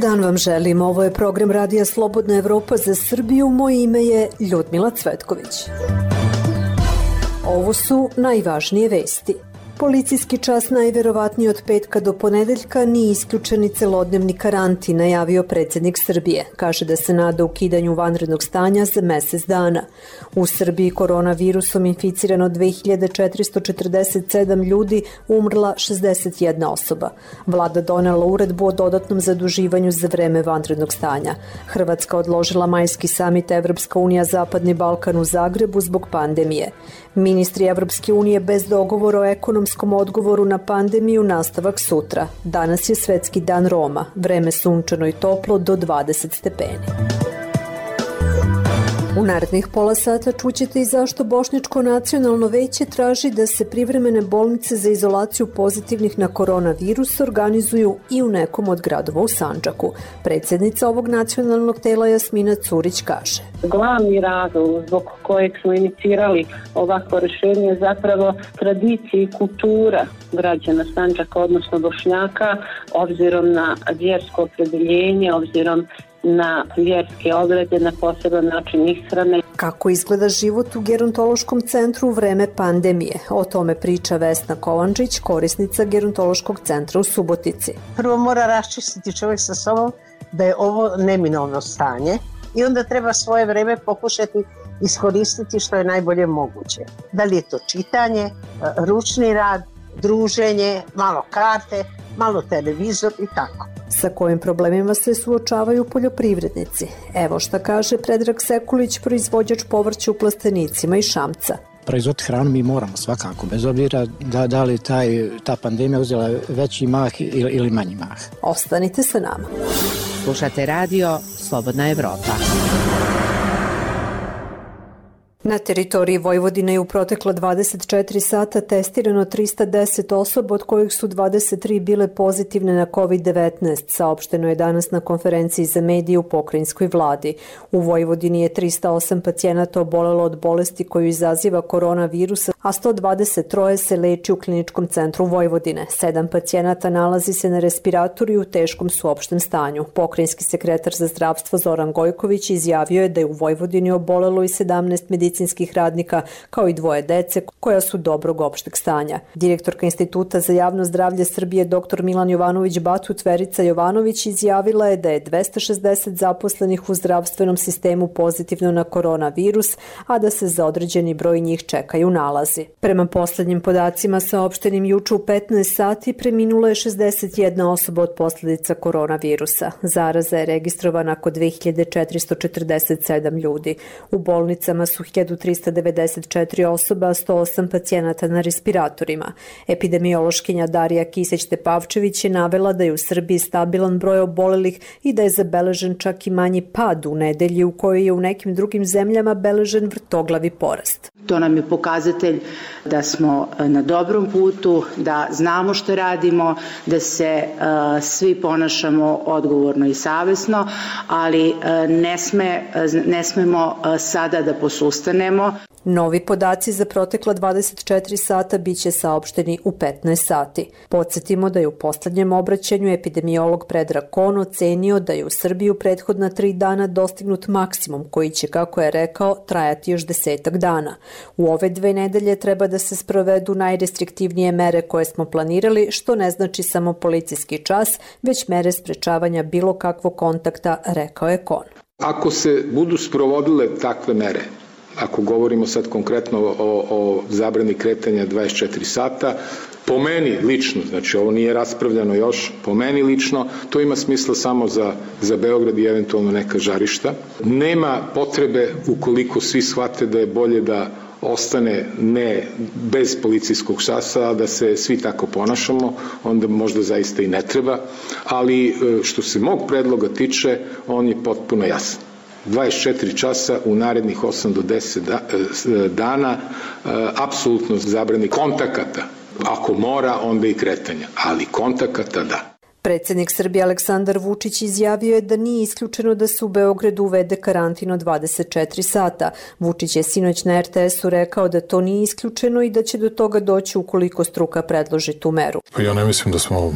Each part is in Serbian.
dan vam želim. Ovo je program Radija Slobodna Evropa za Srbiju. Moje ime je Ljudmila Cvetković. Ovo su najvažnije vesti. Policijski čas najverovatniji od petka do ponedeljka nije isključeni celodnevni karantin, najavio predsjednik Srbije. Kaže da se nada ukidanju vanrednog stanja za mesec dana. U Srbiji koronavirusom inficirano 2447 ljudi, umrla 61 osoba. Vlada donela uredbu o dodatnom zaduživanju za vreme vanrednog stanja. Hrvatska odložila majski samit Evropska unija Zapadni Balkan u Zagrebu zbog pandemije. Ministri Evropske unije bez dogovora o ekonomskom odgovoru na pandemiju, nastavak sutra. Danas je Svetski dan Roma, vreme sunčano i toplo do 20 stepeni. U narednih pola sata čućete i zašto Bošnjačko nacionalno veće traži da se privremene bolnice za izolaciju pozitivnih na koronavirus organizuju i u nekom od gradova u Sandžaku. Predsjednica ovog nacionalnog tela Jasmina Curić kaže: Glavni razlog zbog kojeg smo inicirali ovakvo rješenje je zapravo tradicija i kultura građana Sandžaka, odnosno Bošnjaka, obzirom na vjersko opredjeljenje, obzirom na vjerske obrede, na poseban način ishrane. Kako izgleda život u gerontološkom centru u vreme pandemije? O tome priča Vesna Kovančić, korisnica gerontološkog centra u Subotici. Prvo mora raščistiti čovjek sa sobom da je ovo neminovno stanje i onda treba svoje vreme pokušati iskoristiti što je najbolje moguće. Da li je to čitanje, ručni rad, druženje, malo karte, malo televizor i tako. Sa kojim problemima se suočavaju poljoprivrednici? Evo šta kaže Predrag Sekulić, proizvođač povrća u Plastenicima iz Šamca. Proizvod hranu mi moramo svakako, bez obzira da li ta pandemija uzela veći mah ili manji mah. Ostanite sa nama. Slušate radio Slobodna Evropa. Na teritoriji Vojvodine je u protekla 24 sata testirano 310 osoba, od kojih su 23 bile pozitivne na COVID-19, saopšteno je danas na konferenciji za medije u pokrajinskoj vladi. U Vojvodini je 308 pacijenata obolelo od bolesti koju izaziva koronavirus, a 123 se leči u kliničkom centru Vojvodine. 7 pacijenata nalazi se na respiratoru i u teškom su opštem stanju. Pokrajinski sekretar za zdravstvo Zoran Gojković izjavio je da je u Vojvodini obolelo i 17 medicinskih radnika, kao i 2 dece koja su dobrog opšteg stanja. Direktorka Instituta za javno zdravlje Srbije dr. Milan Jovanović-Batut Verica Jovanović izjavila je da je 260 zaposlenih u zdravstvenom sistemu pozitivno na koronavirus, a da se za određeni broj njih čekaju nalazi. Prema poslednjim podacima saopštenim juče u 15 sati preminula je 61 osoba od posljedica koronavirusa. Zaraza je registrovana kod 2447 ljudi. U bolnicama su 1394 osoba, 108 pacijenata na respiratorima. Epidemiološkinja Darija Kisić-Tepavčević je navela da je u Srbiji stabilan broj obolelih i da je zabeležen čak i manji pad u nedelji u kojoj je u nekim drugim zemljama beležen vrtoglavi porast. To nam je pokazatelj da smo na dobrom putu, da znamo što radimo, da se svi ponašamo odgovorno i savesno, ali ne smemo sada da posustanemo. Novi podaci za protekla 24 sata biće saopšteni u 15 sati. Podsjetimo da je u poslednjem obraćanju epidemiolog Predrag Kon ocenio da je u Srbiji u prethodna 3 dana dostignut maksimum koji će, kako je rekao, trajati još 10 dana. U ove 2 nedelje treba da se sprovedu najrestriktivnije mere koje smo planirali, što ne znači samo policijski čas, već mere sprečavanja bilo kakvog kontakta, rekao je Kon. Ako se budu sprovodile takve mere, ako govorimo sad konkretno o zabrani kretanja 24 sata, po meni lično, znači ovo nije raspravljano još, po meni lično, to ima smisla samo za Beograd i eventualno neka žarišta. Nema potrebe, ukoliko svi shvate da je bolje da ostane ne bez policijskog časa, a da se svi tako ponašamo, onda možda zaista i ne treba, ali što se mog predloga tiče, on je potpuno jasan. 24 časa u narednih 8 do 10 dana, apsolutno zabrani kontakata. Ako mora, onda i kretanja, ali kontakata da. Predsjednik Srbije Aleksandar Vučić izjavio je da nije isključeno da se u Beogradu uvede karantin od 24 sata. Vučić je sinoć na RTS-u rekao da to nije isključeno i da će do toga doći ukoliko struka predloži tu meru. Ja ne mislim da smo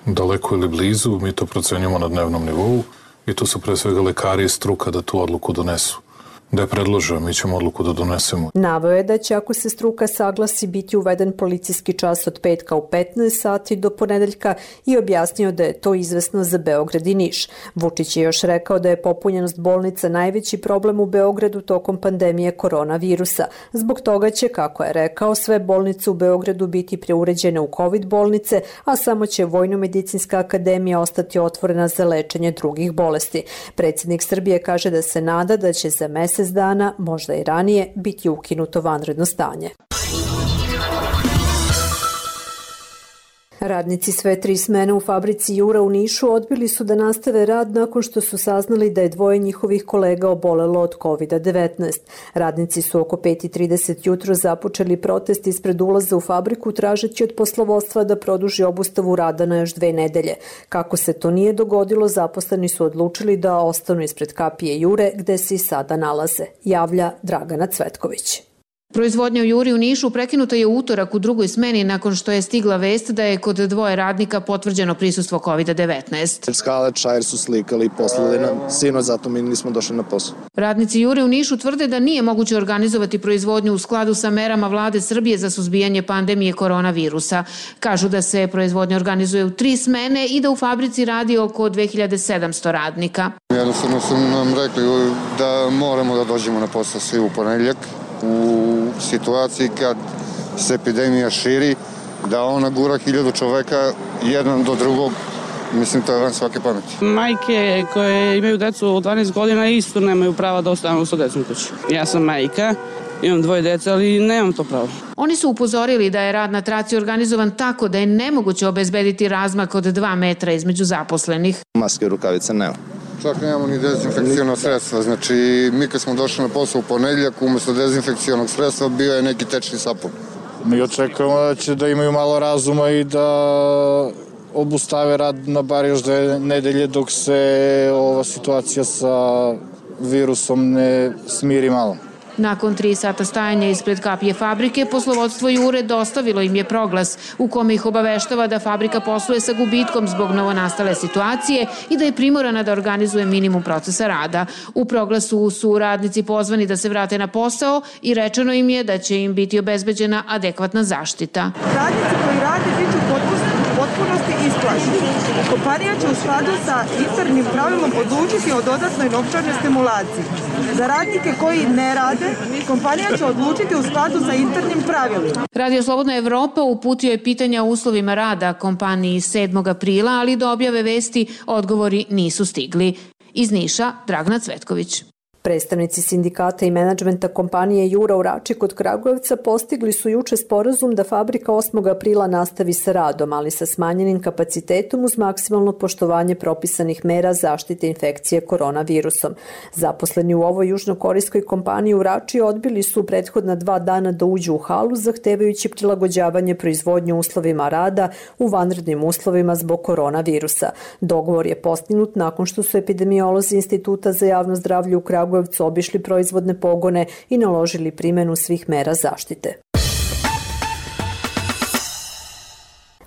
daleko ili blizu, mi to procenjujemo na dnevnom nivou i tu su pre svega lekari i struka da tu odluku donesu. Da je predložio, mi ćemo odluku da donesemo. Naveo je da će, ako se struka saglasi, biti uveden policijski čas od petka u 15 sati do ponedeljka i objasnio da je to izvesno za Beograd i Niš. Vučić je još rekao da je popunjenost bolnica najveći problem u Beogradu tokom pandemije koronavirusa. Zbog toga će, kako je rekao, sve bolnice u Beogradu biti preuređene u COVID bolnice, a samo će Vojno-medicinska akademija ostati otvorena za lečenje drugih bolesti. Predsjednik Srbije kaže da se nada da će za mesec dana, možda i ranije, biti ukinuto vanredno stanje. Radnici sve 3 smene u fabrici Jura u Nišu odbili su da nastave rad nakon što su saznali da je 2 njihovih kolega obolelo od COVID-19. Radnici su oko 5:30 jutro započeli protest ispred ulaza u fabriku tražeći od poslovodstva da produži obustavu rada na još 2 nedelje. Kako se to nije dogodilo, zaposleni su odlučili da ostanu ispred kapije Jure gde se i sada nalaze, javlja Dragana Cvetković. Proizvodnja u Juri u Nišu prekinuta je u utorak u drugoj smeni nakon što je stigla vest da je kod 2 radnika potvrđeno prisustvo COVID-19. Skale čajer su slikali i poslali nam sinoć, zato mi nismo došli na posao. Radnici Jure u Nišu tvrde da nije moguće organizovati proizvodnju u skladu sa merama vlade Srbije za suzbijanje pandemije koronavirusa. Kažu da se proizvodnja organizuje u 3 smene i da u fabrici radi oko 2700 radnika. Jednostavno su nam rekli da moramo da dođemo na posao svi u ponedeljak. U situaciji kad se epidemija širi, da ona gura 1000 čoveka jedan do drugog, mislim to je van svake pameti. Majke koje imaju decu od 12 godina isto nemaju prava da ostanu sa decom kući. Ja sam majka, imam 2 dece, ali nemam to pravo. Oni su upozorili da je rad na traci organizovan tako da je nemoguće obezbediti razmak od 2 metra između zaposlenih. Maske i rukavice nema. Čak nemamo ni dezinfekcijno sredstva, znači mi kad smo došli na posao u ponedeljak, umesto dezinfekcijnog sredstva bio je neki tečni sapun. Mi očekujemo da će da imaju malo razuma i da obustave rad na bar još 2 nedelje dok se ova situacija sa virusom ne smiri malo. Nakon 3 sata stajanja ispred kapije fabrike, poslovodstvo Jure dostavilo im je proglas u kome ih obaveštava da fabrika posluje sa gubitkom zbog novonastale situacije i da je primorana da organizuje minimum procesa rada. U proglasu su radnici pozvani da se vrate na posao i rečeno im je da će im biti obezbeđena adekvatna zaštita. Radnici koji rade bit će u potpunosti isplaćeni. Kompanija će u skladu sa internim pravilom odlučiti o dodatnoj novčanoj stimulaciji. Za radnike koji ne rade, kompanija će odlučiti u skladu sa internim pravilima. Radio Slobodna Evropa uputio je pitanja o uslovima rada kompaniji 7. aprila, ali do objave vesti odgovori nisu stigli. Iz Niša, Dragana Cvetković. Predstavnici sindikata i menadžmenta kompanije Jura u Rači kod Kragujevca postigli su juče sporazum da fabrika 8. aprila nastavi sa radom, ali sa smanjenim kapacitetom uz maksimalno poštovanje propisanih mera zaštite infekcije koronavirusom. Zaposleni u ovoj južnokorejskoj kompaniji u Rači odbili su prethodna 2 dana da uđu u halu, zahtevajući prilagođavanje proizvodnje uslovima rada u vanrednim uslovima zbog koronavirusa. Dogovor je postignut nakon što su epidemiolozi Instituta za javno zdravlje u Kragujevcu obišli proizvodne pogone i naložili primjenu svih mera zaštite.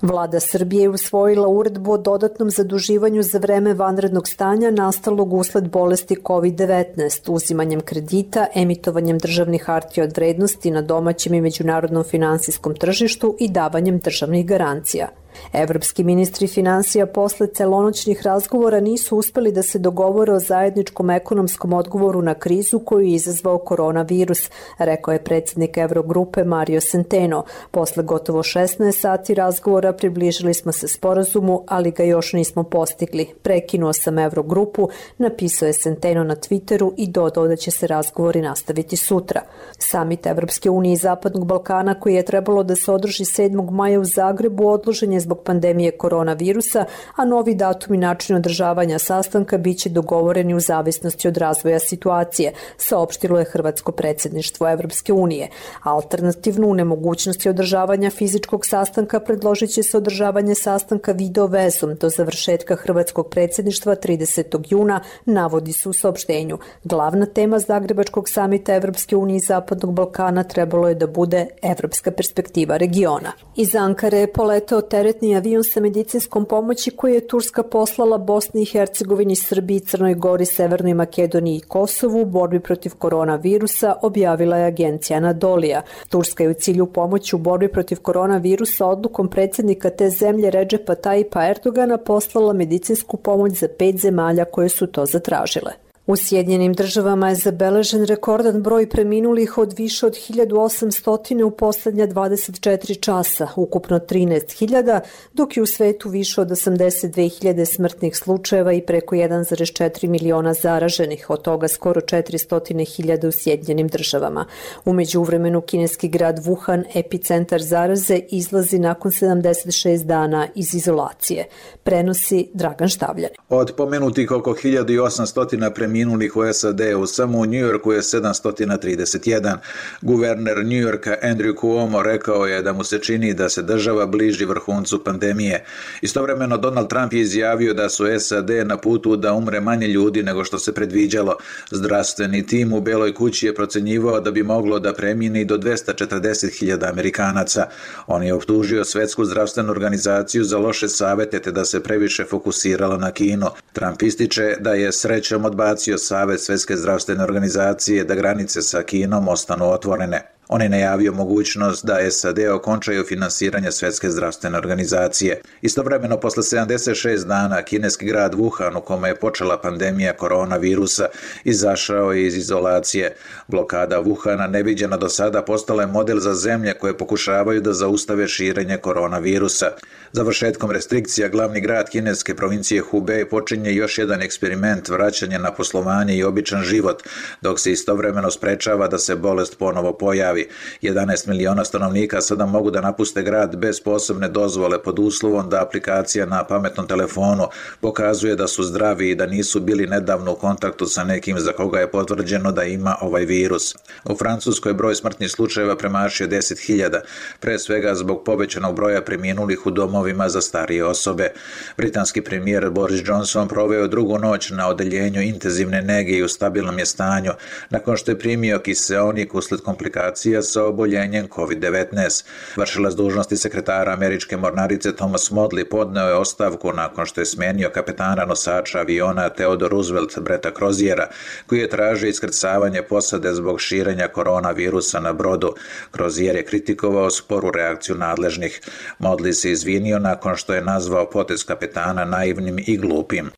Vlada Srbije je usvojila uredbu o dodatnom zaduživanju za vreme vanrednog stanja nastalog usled bolesti COVID-19, uzimanjem kredita, emitovanjem državnih hartija od vrednosti na domaćem i međunarodnom finansijskom tržištu i davanjem državnih garancija. Evropski ministri finansija posle celonoćnih razgovora nisu uspeli da se dogovore o zajedničkom ekonomskom odgovoru na krizu koju je izazvao koronavirus, rekao je predsjednik Evrogrupe Mario Centeno. Posle gotovo 16 sati razgovora približili smo se sporazumu, ali ga još nismo postigli. Prekinuo sam Evrogrupu, napisao je Centeno na Twitteru i dodao da će se razgovori nastaviti sutra. Samit Evropske unije i Zapadnog Balkana koji je trebalo da se održi 7. maja u Zagrebu odložen je zbog pandemije koronavirusa, a novi datum i način održavanja sastanka biće dogovoreni u zavisnosti od razvoja situacije, saopštilo je hrvatsko predsjedništvo Evropske unije. Alternativno, u nemogućnosti održavanja fizičkog sastanka predložit će se održavanje sastanka video vezom do završetka hrvatskog predsjedništva 30. juna, navodi se u saopštenju. Glavna tema Zagrebačkog samita Evropske unije i Zapadnog Balkana trebalo je da bude evropska perspektiva regiona. Iz Ankare je poletao teret teretni avion sa medicinskom pomoći koji je Turska poslala Bosni i Hercegovini, Srbiji, Crnoj Gori, Severnoj Makedoniji i Kosovu u borbi protiv koronavirusa, objavila je agencija Anadolija. Turska je u cilju pomoći u borbi protiv koronavirusa odlukom predsjednika te zemlje Redžepa Tajipa Erdogana poslala medicinsku pomoć za 5 zemalja koje su to zatražile. U Sjedinjenim Državama je zabeležen rekordan broj preminulih od više od 1800 u poslednja 24 časa, ukupno 13.000, dok je u svetu više od 82.000 smrtnih slučajeva i preko 1,4 miliona zaraženih, od toga skoro 400.000 u Sjedinjenim Državama. U međuvremenu kineski grad Wuhan, epicentar zaraze, izlazi nakon 76 dana iz izolacije. Prenosi Dragan Štavljani. Od pomenutih oko 1800 preminulih u SAD-u, samo u Njujorku je 731. Guverner Njujorka Andrew Cuomo rekao je da mu se čini da se država bliži vrhuncu pandemije. Istovremeno Donald Trump je izjavio da su SAD na putu da umre manje ljudi nego što se predviđalo. Zdravstveni tim u Beloj kući je procenjivao da bi moglo da premine do 240.000 Amerikanaca. On je optužio Svetsku zdravstvenu organizaciju za loše savete te da se previše fokusirala na Kinu. Trump ističe da je srećom odbacio Savet Svetske zdravstvene organizacije da granice sa Kinom ostanu otvorene. On je najavio mogućnost da SAD okončaju finansiranje Svetske zdravstvene organizacije. Istovremeno, posle 76 dana, kineski grad Wuhan, u kome je počela pandemija koronavirusa, izašao je iz izolacije. Blokada Wuhana, neviđena do sada, postala je model za zemlje koje pokušavaju da zaustave širenje koronavirusa. Završetkom restrikcija, glavni grad kineske provincije Hubei počinje još jedan eksperiment vraćanja na poslovanje i običan život, dok se istovremeno sprečava da se bolest ponovo pojavi. 11 miliona stanovnika sada mogu da napuste grad bez posebne dozvole pod uslovom da aplikacija na pametnom telefonu pokazuje da su zdravi i da nisu bili nedavno u kontaktu sa nekim za koga je potvrđeno da ima ovaj virus. U Francuskoj broj smrtnih slučajeva premašio 10.000, pre svega zbog povećanog broja preminulih u domovima za starije osobe. Britanski premijer Boris Johnson proveo drugu noć na odeljenju intenzivne nege i u stabilnom je stanju, nakon što je primio kiseonik usled komplikacija sa oboljenjem COVID-19. Vršilac dužnosti sekretara američke mornarice Thomas Modly podneo je ostavku nakon što je smenio kapetana nosača aviona Theodore Roosevelt Bretta Croziera, koji je tražio iskrcavanje posade zbog širenja koronavirusa na brodu. Crozier je kritikovao sporu reakciju nadležnih. Modly se izvinio nakon što je nazvao potez kapetana naivnim i glupim.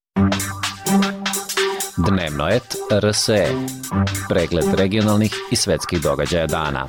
Dnevnoet RSE. Pregled regionalnih i svetskih događaja dana.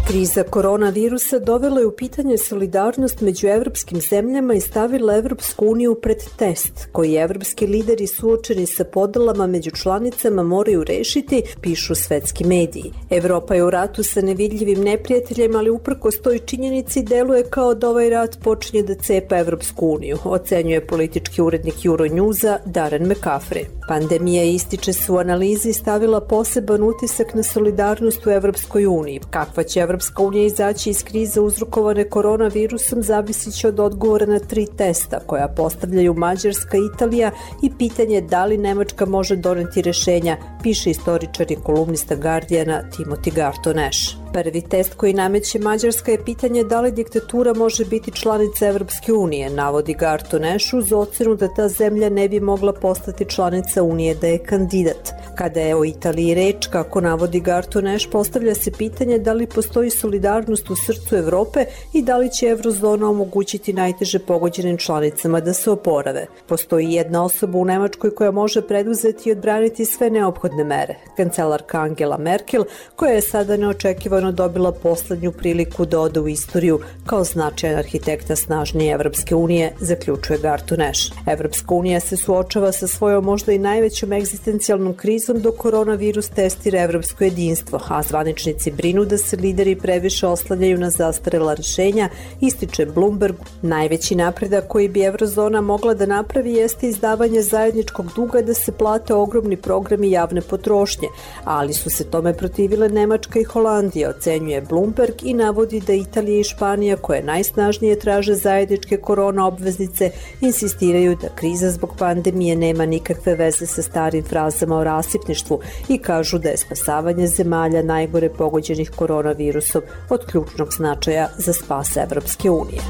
Kriza koronavirusa dovela je u pitanje solidarnost među evropskim zemljama i stavila Evropsku uniju pred test, koji evropski lideri suočeni sa podelama među članicama moraju rešiti, pišu svetski mediji. Evropa je u ratu sa nevidljivim neprijateljem, ali uprkos toj činjenici deluje kao da ovaj rat počinje da cepa Evropsku uniju, ocenjuje politički urednik Euronewsa Darren McCaffrey. Pandemija, ističe se u analizi, stavila poseban utisak na solidarnost u Evropskoj uniji. Kakva će Evropska unija izaći iz krize uzrokovane koronavirusom zavisit će od odgovora na 3 testa koja postavljaju Mađarska i Italija i pitanje da li Nemačka može doneti rešenja, piše istoričar i kolumnista Guardiana Timothy Garton Ash. Prvi test koji nameće Mađarska je pitanje da li diktatura može biti članica Evropske unije, navodi Garton Ash uz ocenu da ta zemlja ne bi mogla postati članica unije da je kandidat. Kada je o Italiji reč, kako navodi Garton Ash, postavlja se pitanje da li postoji solidarnost u srcu Evrope i da li će eurozona omogućiti najteže pogođenim članicama da se oporave. Postoji jedna osoba u Nemačkoj koja može preduzeti i odbraniti sve neophodne mere. Kancelarka Angela Merkel, koja je sada neočekivano dobila poslednju priliku da ode u istoriju kao značajan arhitekta snažnije Evropske unije, zaključuje Garton Ash. Evropska unija se suočava sa svojom možda i najvećom egzistencijalnom krizom dok koronavirus testira evropsko jedinstvo, a zvaničnici brinu da se lideri previše oslanjaju na zastarela rešenja, ističe Bloomberg. Najveći napredak koji bi eurozona mogla da napravi jeste izdavanje zajedničkog duga da se plate ogromni programi javne potrošnje, ali su se tome protivile Nemačka i Holandija, ocenjuje Bloomberg i navodi da Italija i Španija, koje najsnažnije traže zajedničke korona obveznice, insistiraju da kriza zbog pandemije nema nikakve veze sa starim frazama o rasipništvu i kažu da je spasavanje zemalja najgore pogođenih koronavirusom od ključnog značaja za spas Evropske unije.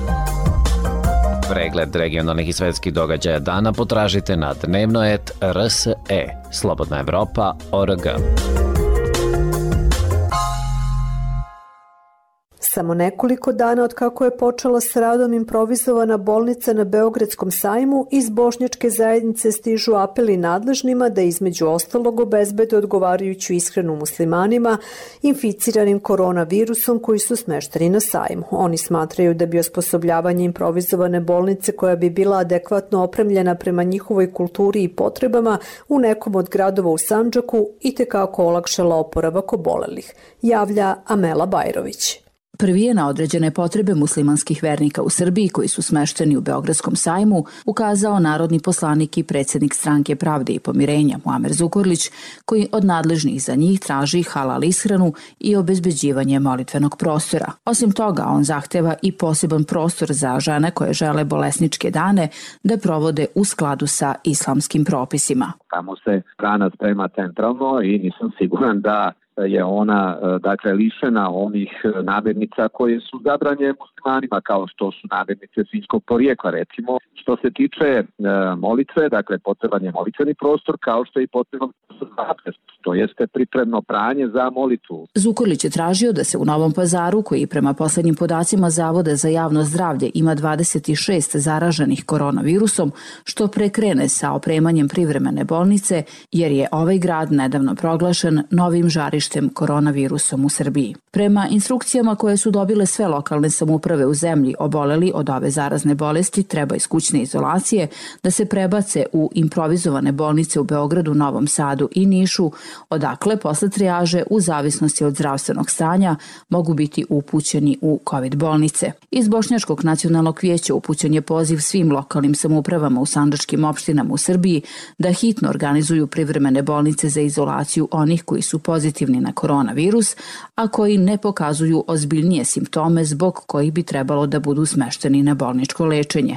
Pregled regionalnih i svetskih događaja dana potražite na dnevnoet.rse, slobodnaevropa.org. Samo nekoliko dana od kako je počela s radom improvizovana bolnica na Beogradskom sajmu, iz bošnjačke zajednice stižu apeli nadležnima da između ostalog obezbede odgovarajuću ishranu muslimanima inficiranim koronavirusom koji su smešteni na sajmu. Oni smatraju da bi osposobljavanje improvizovane bolnice koja bi bila adekvatno opremljena prema njihovoj kulturi i potrebama u nekom od gradova u Sandžaku itekako olakšala oporavak obolelih, javlja Amela Bajrović. Prvi je na određene potrebe muslimanskih vernika u Srbiji koji su smešteni u Beogradskom sajmu ukazao narodni poslanik i predsjednik Stranke pravde i pomirenja Muamer Zukorlić, koji od nadležnih za njih traži halal ishranu i obezbeđivanje molitvenog prostora. Osim toga, on zahteva i poseban prostor za žene koje žele bolesničke dane da provode u skladu sa islamskim propisima. Tamo se hrana sprema centralno i nisam siguran da je ona lišena onih namirnica koje su zabranjene muslimanima, kao što su namirnice svinjskog porijekla, recimo. Što se tiče molitve, potreban je molitveni prostor, kao što je i potreban prostor za abdest, to jeste pripremno pranje za molitvu. Zukorlić je tražio da se u Novom Pazaru, koji prema poslednjim podacima Zavoda za javno zdravlje ima 26 zaraženih koronavirusom, što prekrene sa opremanjem privremene bolnice, jer je ovaj grad nedavno proglašen novim žarištem koronavirusom u Srbiji. Prema instrukcijama koje su dobile sve lokalne samouprave u zemlji, oboleli od ove zarazne bolesti treba iz kućne izolacije da se prebace u improvizovane bolnice u Beogradu, Novom Sadu i Nišu, odakle posle trijaže u zavisnosti od zdravstvenog stanja mogu biti upućeni u COVID bolnice. Iz Bošnjačkog nacionalnog vijeća upućen je poziv svim lokalnim samoupravama u sandžačkim opštinama u Srbiji da hitno organizuju privremene bolnice za izolaciju onih koji su pozitivni na koronavirus, a koji ne pokazuju ozbiljnije simptome zbog kojih bi trebalo da budu smešteni na bolničko lečenje.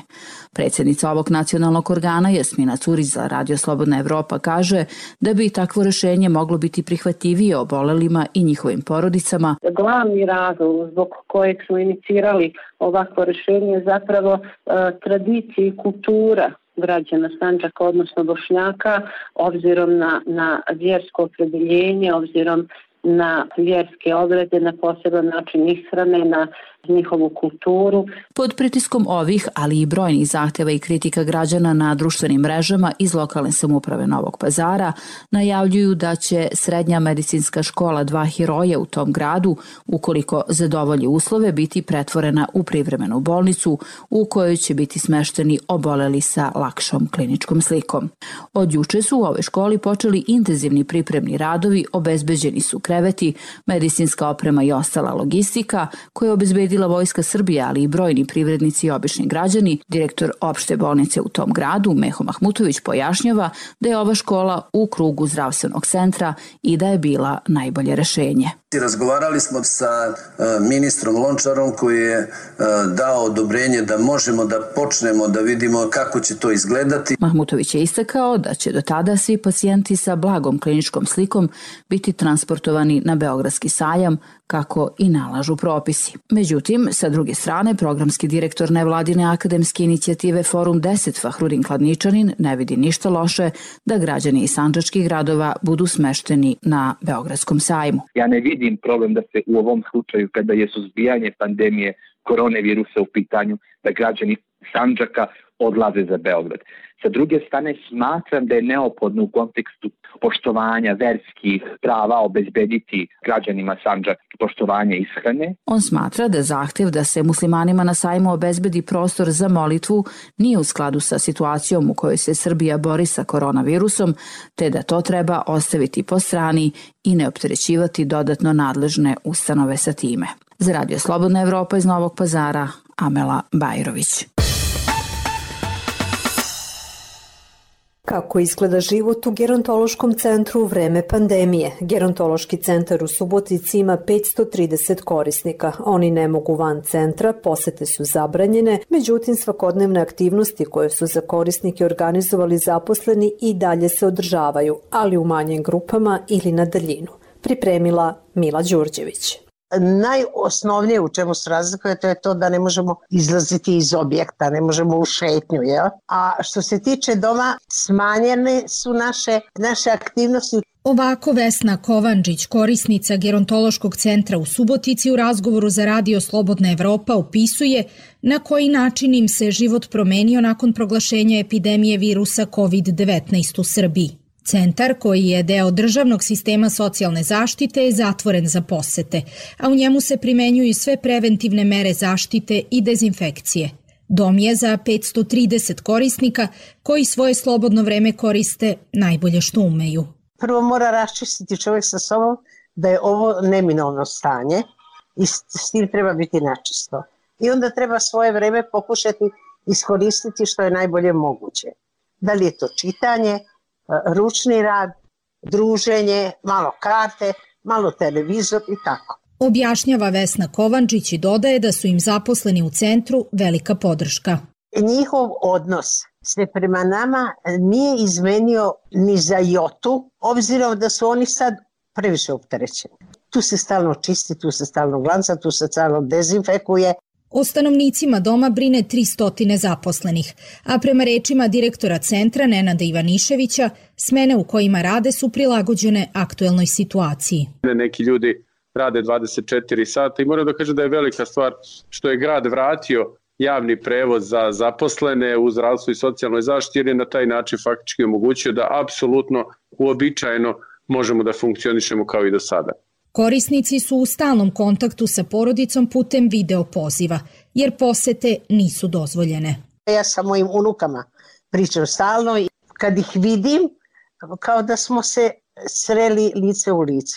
Predsjednica ovog nacionalnog organa Jasmina Curić za Radio Slobodna Evropa kaže da bi takvo rešenje moglo biti prihvatljivije obolelima i njihovim porodicama. Glavni razlog zbog kojeg smo inicirali ovakvo rešenje je zapravo tradicija i kultura građana Sandžaka, odnosno Bošnjaka, obzirom na vjersko opredeljenje, obzirom na vjerske obrede, na poseban način ishrane, na njihovu kulturu. Pod pritiskom ovih, ali i brojnih zahteva i kritika građana na društvenim mrežama iz lokalne samouprave Novog Pazara najavljuju da će srednja medicinska škola Dva heroja u tom gradu, ukoliko zadovolji uslove, biti pretvorena u privremenu bolnicu u kojoj će biti smešteni oboleli sa lakšom kliničkom slikom. Od juče su u ovoj školi počeli intenzivni pripremni radovi, obezbeđeni su kreveti, medicinska oprema i ostala logistika koje obezbedila Vojska Srbije, ali i brojni privrednici i obični građani. Direktor opšte bolnice u tom gradu, Meho Mahmutović, pojašnjava da je ova škola u krugu zdravstvenog centra i da je bila najbolje rešenje. Razgovarali smo sa ministrom Lončarom koji je dao odobrenje da možemo da počnemo da vidimo kako će to izgledati. Mahmutović je istakao da će do tada svi pacijenti sa blagom kliničkom slikom biti transportovani na Beogradski sajam, kako i nalažu propisi. Međutim, sa druge strane, programski direktor nevladine akademske inicijative Forum 10 Fahrudin Kladničanin ne vidi ništa loše da građani iz sandžačkih gradova budu smešteni na Beogradskom sajmu. Ja ne vidim problem da se u ovom slučaju, kada je suzbijanje pandemije koronavirusa u pitanju, da građani Sandžaka odlaze za Beograd. Sa druge strane, smatram da je neophodno u kontekstu poštovanja verskih prava obezbediti građanima Sandžaka poštovanje ishrane. On smatra da zahtev da se muslimanima na sajmu obezbedi prostor za molitvu nije u skladu sa situacijom u kojoj se Srbija bori sa koronavirusom, te da to treba ostaviti po strani i ne opterećivati dodatno nadležne ustanove sa time. Za Radio Slobodna Evropa iz Novog Pazara, Amela Bajrović. Kako izgleda život u gerontološkom centru u vreme pandemije? Gerontološki centar u Subotici ima 530 korisnika. Oni ne mogu van centra, posete su zabranjene, međutim svakodnevne aktivnosti koje su za korisnike organizovali zaposleni i dalje se održavaju, ali u manjim grupama ili na daljinu. Pripremila Mila Đurđević. Najosnovnije u čemu se razlikuje to je to da ne možemo izlaziti iz objekta, ne možemo u šetnju, jel? A što se tiče doma, smanjene su naše aktivnosti. Ovako Vesna Kovančić, korisnica gerontološkog centra u Subotici, u razgovoru za Radio Slobodna Evropa opisuje na koji način im se život promenio nakon proglašenja epidemije virusa COVID-19 u Srbiji. Centar, koji je deo državnog sistema socijalne zaštite, je zatvoren za posete, a u njemu se primenjuju sve preventivne mere zaštite i dezinfekcije. Dom je za 530 korisnika koji svoje slobodno vreme koriste najbolje što umeju. Prvo mora raščistiti čovjek sa sobom da je ovo neminovno stanje i s tim treba biti načisto. I onda treba svoje vreme pokušati iskoristiti što je najbolje moguće. Da li je to čitanje, ručni rad, druženje, malo karte, malo televizor i tako. Objašnjava Vesna Kovančić i dodaje da su im zaposleni u centru velika podrška. Njihov odnos se prema nama nije izmenio ni za jotu, obzirom da su oni sad previše opterećeni. Tu se stalno čisti, tu se stalno glanca, tu se stalno dezinfekuje. O stanovnicima doma brine 300 zaposlenih, a prema rečima direktora centra Nenada Ivaniševića, smene u kojima rade su prilagođene aktuelnoj situaciji. Neki ljudi rade 24 sata i moram da kažem da je velika stvar što je grad vratio javni prevoz za zaposlene u zdravstvu i socijalnoj zaštiti, jer je na taj način faktički omogućio da apsolutno uobičajeno možemo da funkcionišemo kao i do sada. Korisnici su u stalnom kontaktu sa porodicom putem video poziva, jer posete nisu dozvoljene. Ja sa mojim unukama pričam stalno i kad ih vidim, kao da smo se sreli lice u lice.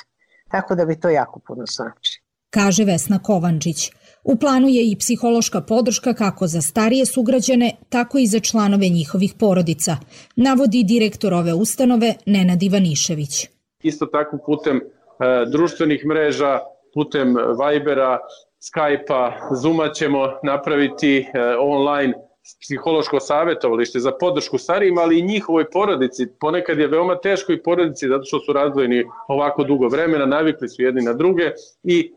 Tako da bi to jako puno znači. Kaže Vesna Kovančić. U planu je i psihološka podrška kako za starije sugrađane, tako i za članove njihovih porodica, navodi direktor ove ustanove Nenad Ivanišević. Isto tako putem društvenih mreža, putem Vibera, Skype-a, Zooma ćemo napraviti online psihološko savjetovalište za podršku starijima, ali i njihovoj porodici. Ponekad je veoma teško i porodici zato što su razdvojeni ovako dugo vremena, navikli su jedni na druge i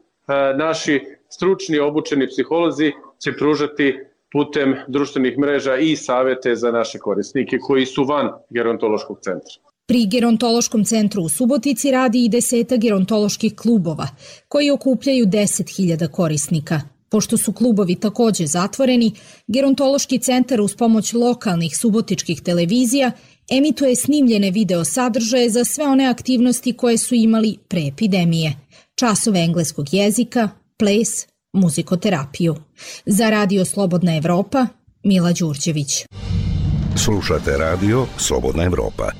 naši stručni obučeni psiholozi će pružati putem društvenih mreža i savete za naše korisnike koji su van gerontološkog centra. Pri gerontološkom centru u Subotici radi i 10 gerontoloških klubova, koji okupljaju 10.000 korisnika. Pošto su klubovi takođe zatvoreni, gerontološki centar uz pomoć lokalnih subotičkih televizija emituje snimljene video sadržaje za sve one aktivnosti koje su imali pre epidemije. Časove engleskog jezika, ples, muzikoterapiju. Za Radio Slobodna Evropa, Mila Đurđević. Slušate Radio Slobodna Evropa.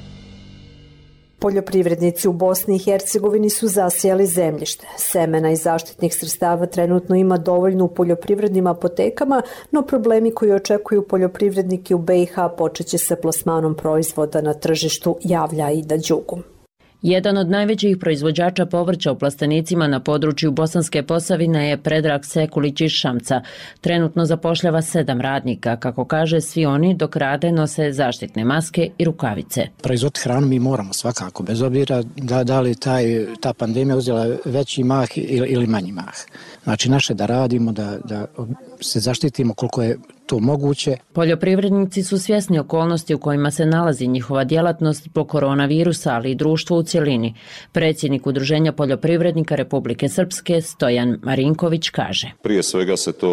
Poljoprivrednici u Bosni i Hercegovini su zasijali zemljište. Semena i zaštitnih sredstava trenutno ima dovoljno u poljoprivrednim apotekama, no problemi koji očekuju poljoprivrednike u BiH počeće sa plasmanom proizvoda na tržištu, javlja Aida Đugum. Jedan od najvećih proizvođača povrća u plastenicima na području Bosanske Posavine je Predrag Sekulić iz Šamca. Trenutno zapošljava 7 radnika. Kako kaže, svi oni dok rade nose zaštitne maske i rukavice. Proizvod hranu mi moramo svakako, bez obzira da li ta pandemija uzela veći mah ili manji mah. Znači naše da radimo, da se zaštitimo koliko je to moguće. Poljoprivrednici su svjesni okolnosti u kojima se nalazi njihova djelatnost zbog koronavirusa, ali i društvo u cjelini. Predsjednik Udruženja poljoprivrednika Republike Srpske Stojan Marinković kaže. Prije svega se to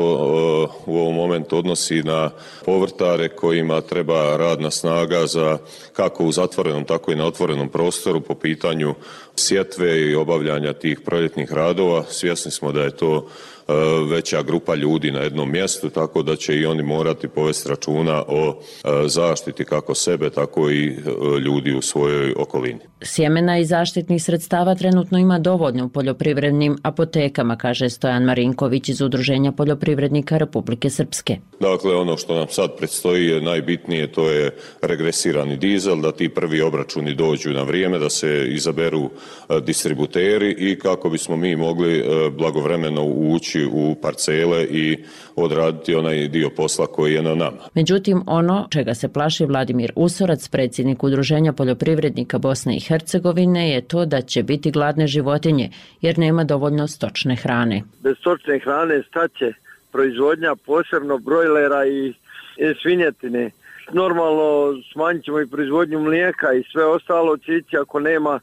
u ovom momentu odnosi na povrtare kojima treba radna snaga za kako u zatvorenom, tako i na otvorenom prostoru po pitanju sjetve i obavljanja tih proljetnih radova. Svjesni smo da je to veća grupa ljudi na jednom mjestu, tako da će i oni morati povesti računa o zaštiti kako sebe, tako i ljudi u svojoj okolini. Sjemena i zaštitnih sredstava trenutno ima dovoljno u poljoprivrednim apotekama, kaže Stojan Marinković iz Udruženja poljoprivrednika Republike Srpske. Dakle, ono što nam sad predstoji je najbitnije, to je regresirani dizel, da ti prvi obračuni dođu na vrijeme, da se izaberu distributeri i kako bismo mi mogli blagovremeno ući u parcele i odraditi onaj dio posla koji je na nama. Međutim, ono čega se plaši Vladimir Usorac, predsjednik Udruženja poljoprivrednika Bosne i Hercegovine, je to da će biti gladne životinje jer nema dovoljno stočne hrane. Bez stočne hrane staće proizvodnja, posebno brojlera i svinjetine. Normalno smanjit ćemo i proizvodnju mlijeka i sve ostalo će ići ako nema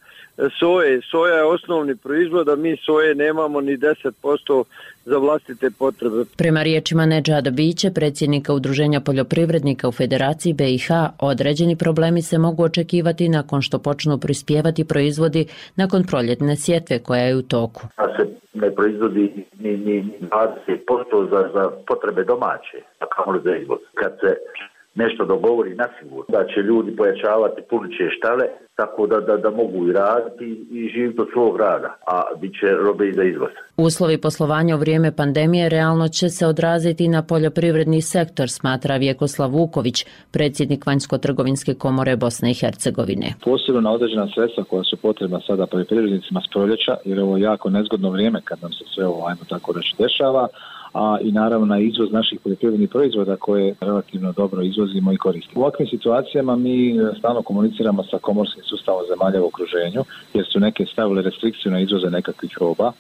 soje. Soja je osnovni proizvod, a mi soje nemamo ni 10% za vlastite potrebe. Prema riječima Nedžada Biće, predsjednika Udruženja poljoprivrednika u Federaciji BiH, određeni problemi se mogu očekivati nakon što počnu prispjevati proizvodi nakon proljetne sjetve koja je u toku. A se ne proizvodi ni 20% za potrebe domaće, a kamoli za izvoz. Kad se nešto dogovori nasigurno da će ljudi pojačavati puniće štale tako da mogu i raditi i živjeti od svog rada, a bit će robe i za izvoz. Uslovi poslovanja u vrijeme pandemije realno će se odraziti na poljoprivredni sektor, smatra Vjekoslav Vuković, predsjednik Vanjsko-trgovinske komore Bosne i Hercegovine. Posebno na određena sredstva koja su potrebna sada poljoprivrednicima s proljeća, jer je ovo jako nezgodno vrijeme kad nam se sve ovo, ajmo tako reći, dešava, a i naravno na izvoz naših poljoprivrednih proizvoda koje relativno dobro izvozimo i koristimo. U ovakvim situacijama mi stalno komuniciramo sa komorskim sustavom zemalja u okruženju, jer su neke stavile restrikciju na izvoze nekakvih roba,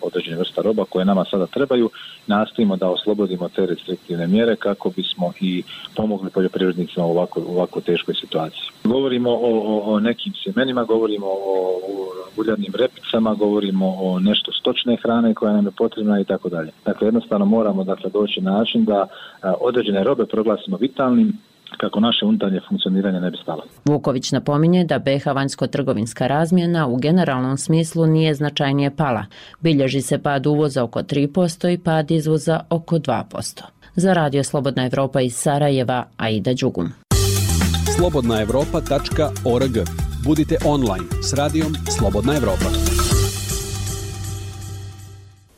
određene vrsta roba koje nama sada trebaju. Nastojimo da oslobodimo te restriktivne mjere kako bismo i pomogli poljoprivrednicima u ovako teškoj situaciji. Govorimo o nekim sjemenima, govorimo o uljarnim repicama, govorimo o nešto stočne hrane koja nam je potrebna i tako dalje. Dakle, jednostavno moramo doći na način da određene robe proglasimo vitalnim kako naše unutarnje funkcioniranje ne bi stalo. Vuković napominje da BiH vanjsko-trgovinska razmjena u generalnom smislu nije značajnije pala. Bilježi se pad uvoza oko 3% i pad izvoza oko 2%. Za Radio Slobodna Evropa iz Sarajeva, Aida Đugum. slobodnaevropa.org. Budite online s radijom Slobodna Evropa.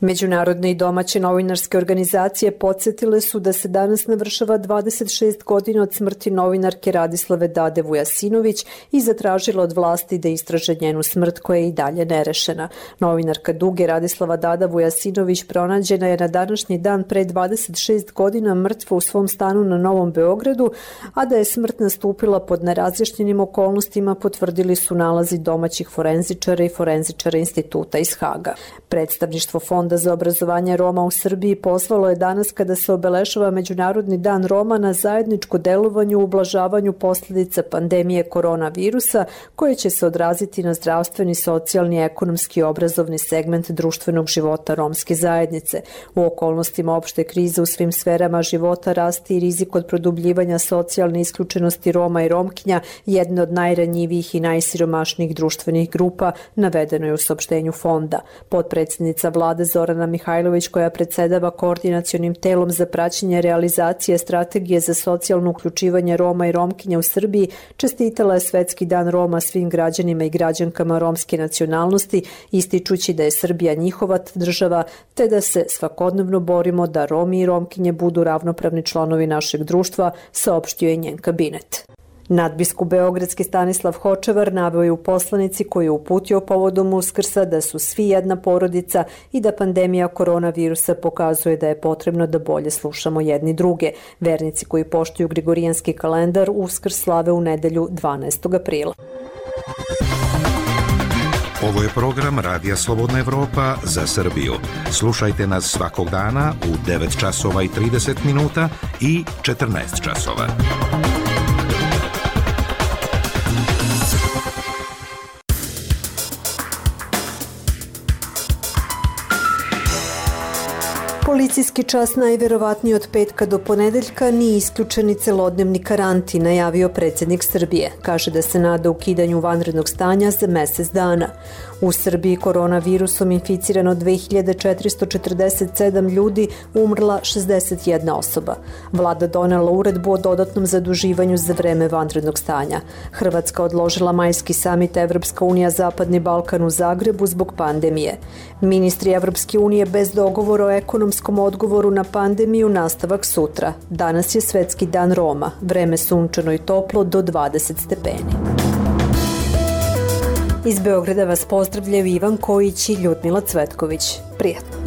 Međunarodne i domaće novinarske organizacije podsjetile su da se danas navršava 26 godina od smrti novinarke Radislave Dade Vujasinović i zatražila od vlasti da istraže njenu smrt koja je i dalje nerešena. Novinarka Duge Radislava Dada Vujasinović pronađena je na današnji dan pre 26 godina mrtva u svom stanu na Novom Beogradu, a da je smrt nastupila pod nerazjašnjenim okolnostima potvrdili su nalazi domaćih forenzičara i forenzičara instituta iz Haga. Predstavništvo Fonda za obrazovanje Roma u Srbiji pozvalo je danas kada se obeležava Međunarodni dan Roma na zajedničko delovanje u ublažavanju posljedica pandemije koronavirusa koje će se odraziti na zdravstveni, socijalni, ekonomski i obrazovni segment društvenog života romske zajednice. U okolnostima opšte krize u svim sferama života rasti i rizik od produbljivanja socijalne isključenosti Roma i Romkinja, jedne od najranjivijih i najsiromašnijih društvenih grupa, navedeno je u saopštenju fonda. Potpredsjednica vlade Zorana Mihajlović, koja predsedava koordinacionim telom za praćenje realizacije strategije za socijalno uključivanje Roma i Romkinja u Srbiji, čestitala je Svetski dan Roma svim građanima i građankama romske nacionalnosti, ističući da je Srbija njihova država, te da se svakodnevno borimo da Romi i Romkinje budu ravnopravni članovi našeg društva, saopštio je njen kabinet. Nadbiskup beogradski Stanislav Hočevar naveo je u poslanici koju je uputio povodom Uskrsa da su svi jedna porodica i da pandemija koronavirusa pokazuje da je potrebno da bolje slušamo jedni druge. Vernici koji poštuju Gregorijanski kalendar Uskrs slave u nedelju 12. aprila. Ovo je program Radija Slobodna Evropa za Srbiju. Slušajte nas svakog dana u 9 časova i 30 minuta i 14 časova. Policijski čas najverovatniji od petka do ponedeljka nije isključeni celodnevni karantin, najavio predsjednik Srbije. Kaže da se nada ukidanju vanrednog stanja za mesec dana. U Srbiji koronavirusom inficirano 2447 ljudi, umrla 61 osoba. Vlada donela uredbu o dodatnom zaduživanju za vreme vanrednog stanja. Hrvatska odložila majski samit Evropska unija Zapadni Balkan u Zagrebu zbog pandemije. Ministri Evropske unije bez dogovora o ekonomskom odgovoru na pandemiju nastavak sutra. Danas je Svetski dan Roma, vreme sunčano i toplo do 20 stepeni. Iz Beograda vas pozdravljaju Ivan Kojić i Ljudmila Cvetković. Prijatno.